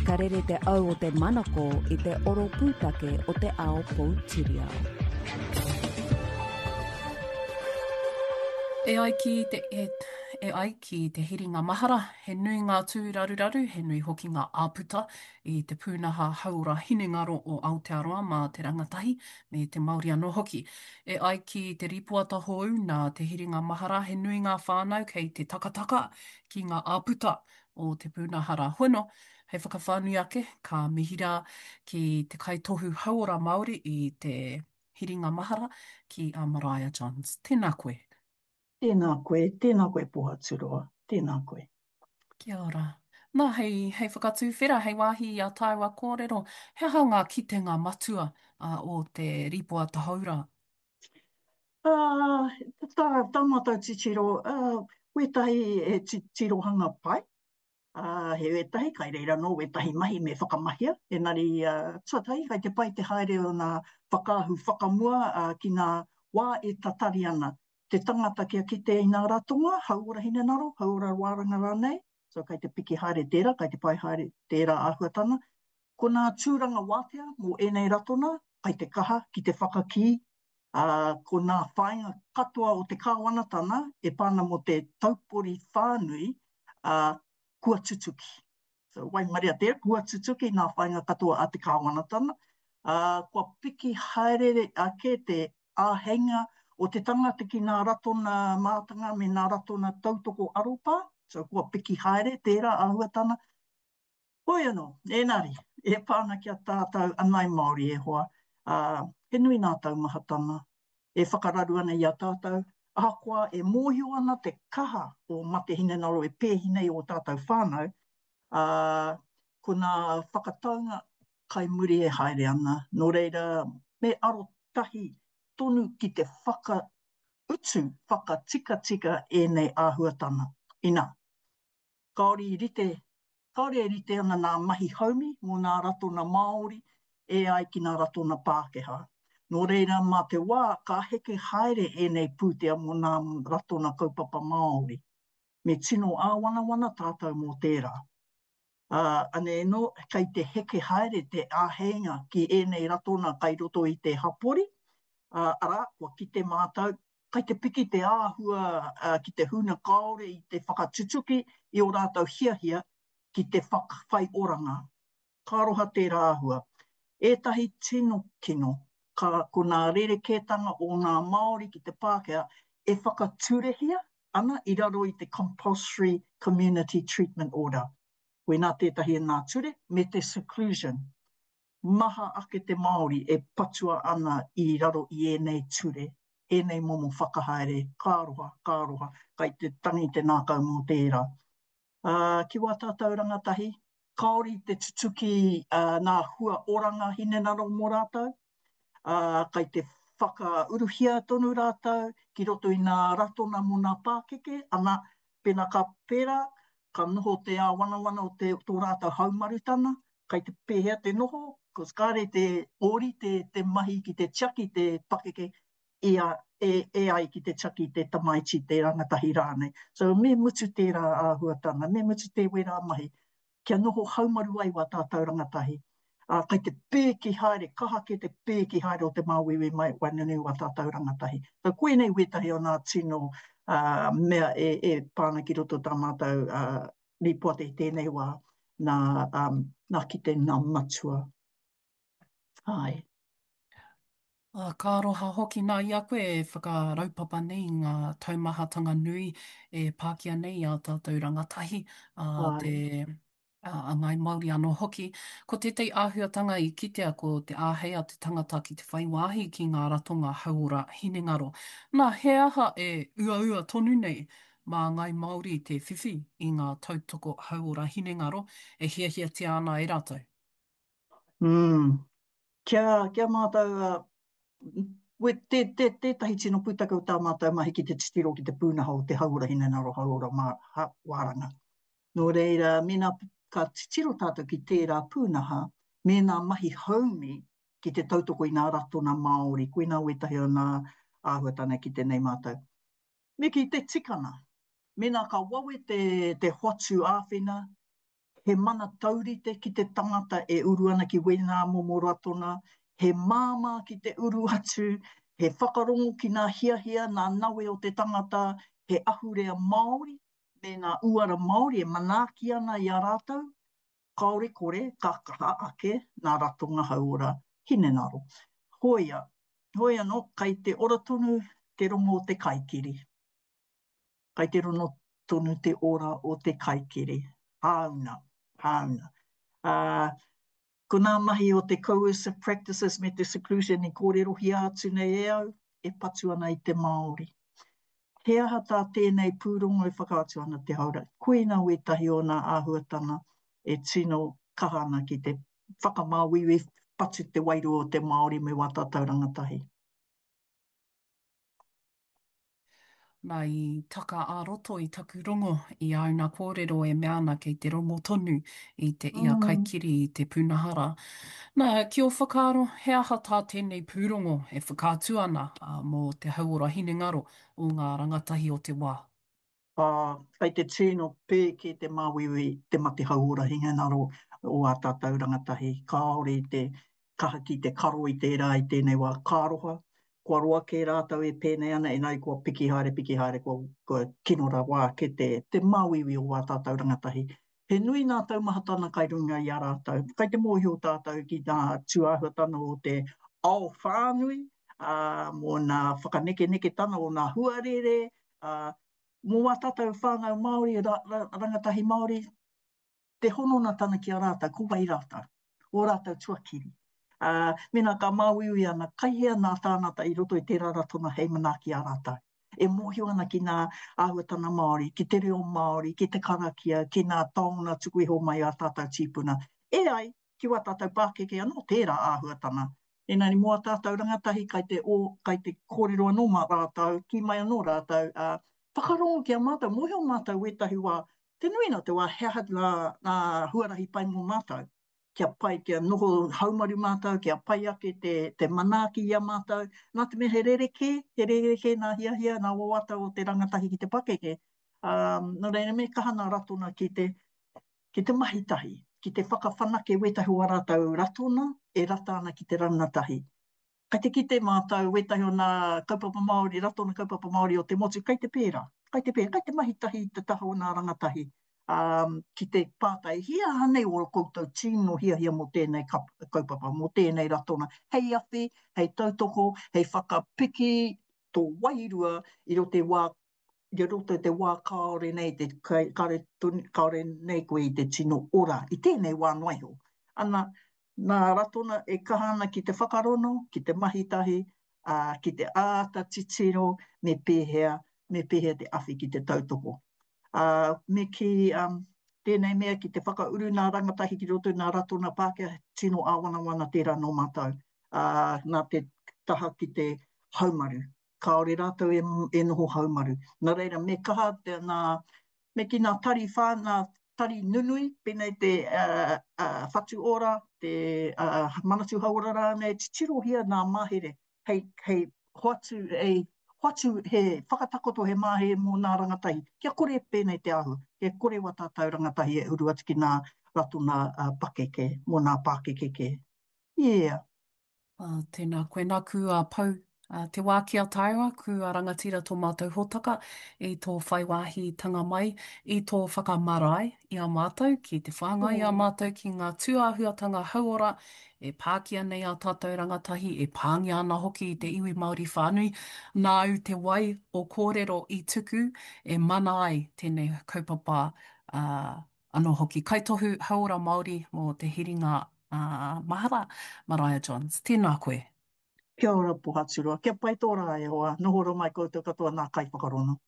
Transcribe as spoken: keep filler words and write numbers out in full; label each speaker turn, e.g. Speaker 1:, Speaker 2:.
Speaker 1: Ka rere te au o te manako i te oro pūtake o te ao poutiriao.
Speaker 2: E ai ki te, e, e ai ki te hiringa mahara, he nui ngā tūraruraru, he nui hoki ngā āputa i te pūnaha hauora hinengaro o Aotearoa mā te rangatahi me te Māori anō hoki. E ai ki te rīpoata hou nā te hiringa mahara, he nui ngā whānau kei te takataka ki ngā āputa o te pūnaha rā hono. Hei whakawhānui ake, ka mihi rā ki te kaitohu hauora Māori i te hiringa mahara ki a Maraea Johns. Tēnā koe.
Speaker 3: Tēnā koe, tēnā koe Pohaturoa, tēnā koe.
Speaker 2: Kia ora. Nā, hei, hei whakatūwhera, hei wāhi i a tāua kōrero, he aha ngā kitenga matua uh, o te rīpoata hou rā?
Speaker 3: Uh, tā, tā mātou titiro, uh, wētahi e tirohanga pai, ā, he wētahi, kai reira anō wētahi mahi me whakamahia, engari, ā, tuatahi, kai te pai te haere o nā whakaahu whakamua, ā, ki nā wā e tatari ana te tangata kia kite i nā ratonga, hauora hinengaro, hauora wāranga rānei, so kai te piki haere tērā, kai te pai haere tērā āhuatanga. Ko nā tūranga wātea mō ēnei ratona, kai te kaha ki te whakakī, ā, ko nā whāinga katoa o te kāwanatana e pā ana mō te taupori whānui, ā, kua tutuki. So, waimaria tērā, kua tutuki nā whāinga katoa a te kāwanatana, ā, kua piki haere ake te āheinga o te tangata ki nā ratona mātanga me nā ratona tautoko aropā, so kua piki haere tērā āhuatana. Hoi anō, ēnari, e pā ana ki a tātou anai Māori e hoa, ā, he nui nā taumahatanga e whakararu ana i a tātou, ahakoa e mōhio ana te kaha o mate hinengaro e pēhi nei ō tātou whānau, ā, ko nā whakataunga kai muri e haere ana, nō reira, me arotahi tonu ki te whakautu, whakatikatika ēnei āhuatanga, inā. Kāore i rite, kāore e rite ana nā mahi haumi mō nā ratona Māori e ai ki nā ratona Pākehā. Nō reira, mā te wā ka heke haere ēnei pūtea mō nā ratona kaupapa Māori. Me tino āwanawana tātou mō tērā. Ā, anei anō, kei te heke haere te āheinga ki ēnei ratona kai roto i te hapori, ā, arā, kua kite mātou, kai te piki te āhua ki te huna kāore i te whakatutuki i ō rātou hiahia ki te whai oranga. Ka aroha tērā āhua. Ētahi tino kino, ka, ko nā rerekētanga o ngā Māori ki te Pākehā e whakaturehia ana i raro i te Compulsory Community Treatment Order. Koinā tētahi o nā ture, me te seclusion. Maha ake te Māori e patua ana i raro i ēnei ture, ēnei momo whakahaere, ka aroha, ka aroha, kai te tangi te nākau mō tērā. Ā, ki wā tātou rangatahi, kāore i te tutuki nā hua oranga hinengaro mō rātou, ā, kai te whakauruhia tonu rātou ki roto i nā ratona mō nā pākeke, ana, pēnā ka pērā, ka noho te āwanawana o te, tō rātou haumarutana, kai te pēhea te noho, cos kāre te ōrite te mahi ki te tiaki te pakeke i a, e, e ai ki te tiaki te tamaiti, te rangatahi rānei. So me mutu tērā āhuatanga, me mutu te wērā mahi, kia noho haumaru ai wā tātou rangatahi. Ā, kai te pēki haere, kaha kē te pēki haere o te māuiui mai waenganui wā tātou rangatahi. So koinei wētahi o nā tino uh, mea e, e pā ana ki roto tā mātou uh, rīpoata i tēnei wā, nā, um, nā kite nā matua. Āe.
Speaker 2: Ā, ka aroha hoki nā i a koe e whakaraupapa nei i ngā taumahatanga nui e pākia nei i ā tātou rangatahi, ā, te, ā, a Ngāi Māori anō hoki. Ko tētahi āhuatanga i kitea ko te āhei a te tangata ki te whai wāhi ki ngā ratonga hauora hinengaro. Nā, he aha e uaua tonu nei mā Ngāi Māori te whiwhi i ngā tautoko hauora hinengaro e hiahiatia ana e rātou?
Speaker 3: Mm. Kia, kia mātou, uh, we, te, te, tētahi tino pūtake o tā mātou mahi ki te titiro ki te pūnaha o te hauora hinengaro, hauora mā, ha, wāranga. Nō reira, mēnā ka titiro tātou ki tērā pūnaha, mēnā mahi haumi ki te tautoko i ngā ratona Māori, koinā wētahi o ngā āhuatanga ki tēnei mātou. Me kī te tikanga, mēnā ka wawe te, te hoatu āwhina, He mana taurite ki te tangata e uru ana ki wēnā momo ratona, he māmā ki te uru atu, he whakarongo ki ngā hiahia, ngā nawe o te tangata, he ahurea Māori me ngā uara Māori e manaaki ana i a rātou, kāore kore ka kaha ake ngā ratonga hauora hinengaro. Hoia, hoi anō, kai te ora tonu te rongo o te kaikiri. Kai te rongo tonu te ora o te kaikiri. Hāuna, hāuna. Uh, ko ngā mahi o te coercive practices me te seclusion i kōrerohia atu nei e au, e patu ana i te Māori. He aha tā tēnei pūrongo e whakaatu ana te haura? Koina wētahi o ngā āhuatanga e tino kaha ana ki te whakamāuiui patu te wairua o te Māori me wā tātou rangatahi.
Speaker 2: Nā, i taka ā-roto i taku rongo i āu nā kōrero e mea ana kei te rongo tonu i te ia
Speaker 3: Mm.
Speaker 2: kaikiri i te pūnaha rā. Nā, ki ō whakaaro, he aha tā tēnei pūrongo e whakaatu ana mō te hauora hinengaro o ngā rangatahi o te wā?
Speaker 3: Ā, kei te tino pēke te māuiui, te mate hauora hinengaro o ā tātou rangatahi. Kāore i te kaha ki te karo i tērā i tēnei wā. Ka aroha, kua roa kē rātou e pēnei ana, engari kua piki haere, piki haere, kua, kua kino rawa ake te, te māuiui o ā tātou rangatahi. He nui ngā taumahatana kai runga i a rātou. Kai te mōhio tātou ki ngā tūāhuatana o te ao whānui, ā, mō ngā whakanekeneketana o ngā huarere, ā, mō ā tātou whānau Māori, ra, ra, rangatahi Māori, te hononatana ki a rātou, ko wai rātou, ō rātou tuakiri. Ā, mēnā ka māuiui ana, kai hea nā tāngata i roto i tērā ratonga hei manaaki i a rātou. E mōhio ana ki ngā āhuatanga Māori, ki te reo Māori, ki te karakia, ki ngā taonga tuku iho mai a tātou tīpuna. E ai ki wā tātou pākeke anō tērā āhuatanga. Engari mō ā tātou rangatahi kai te o, kai te kōrero anō mā rātou, kī mai anō rātou, ā, whakarongo ki a mātou, mōhio mātou wētahi wā, te nuinga o te wā he aha ngā, ngā huarahi pai mō mātou, kia pai, kia noho haumaru mātou, kia pai ake te, te manaaki i a mātou, nā te mea he rerekē, he rerekē ngā hiahia, ngā wawata o te rangatahi ki te pakeke, ā, nō reira me kaha ngā ratona ki te, ki te mahi tahi, ki te whakawhanake wētahi o ā rātou ratona e rata ana ki te rangatahi. Kai te kite mātou wētahi o nā kaupapa Māori, ratona kaupapa Māori o te motu, kai te pērā, kai te pērā, kai te mahi tahi i te taha o nā rangatahi, ā, ki te pātai, he aha nei ō koutou tino hiahia mō tēnei kaupapa, mō tēnei ratona, hei awhi, hei tautoko, hei whakapiki tō wairua i roto i wā i roto i te wā kāore nei te, kāore, kāore nei koe i te tino ora i tēnei wā noa iho. Ana, nā Ratona e kaha ana ki te whakarono, ki te mahi tahi, ā, ki te āta titiro me pēhea, me pēhea te awhi ki te tautoko. Ā, me kī, um, tēnei mea ki te whakauru nā rangatahi ki roto i nā Ratona Pākehā, tino āwangawanga tērā nō mātou, ā, nā te taha ki te haumaru. Kāore rātou e, e noho haumaru. Nā reira, me kaha te, nā, me ki nā tari whā, nā tari nunui, pēnei te uh, uh, Whatu Ora, te uh, Manatū Hauora rānei, titirohia nā mahere, hei, hei hoatu, hei hoatu he whakatakoto he mahere mō nā rangatahi, kia kore pēnei te āhua, kia kore wā tātou rangatahi e uru atu ki nā ratona uh, pakeke, mō nā pākeke kē. Yeah.
Speaker 2: Uh, tēnā koe nāku a Pau uh, te wā ki a tāua, ku a rangatira tō mātou hōtaka i tō whai wāhitanga mai, i tō whakamarae i a mātou, ki te whāngai i a mātou ki ngā tūāhuatanga hauora e pākia nei a tātou rangatahi, e pāngia ana hoki i te iwi Māori whānui. Nāu te wai o kōrero i tuku e mana ai tēnei kaupapa uh, Anō hoki, Kaitohu Hauora Māori mō te Hiringa Mahara, Maraea Johns. Tēnā koe.
Speaker 3: Kia ora Pohaturoa, kia pai tō rā e hoa, noho ora mai koutou katoa nā kaiwhakarongo.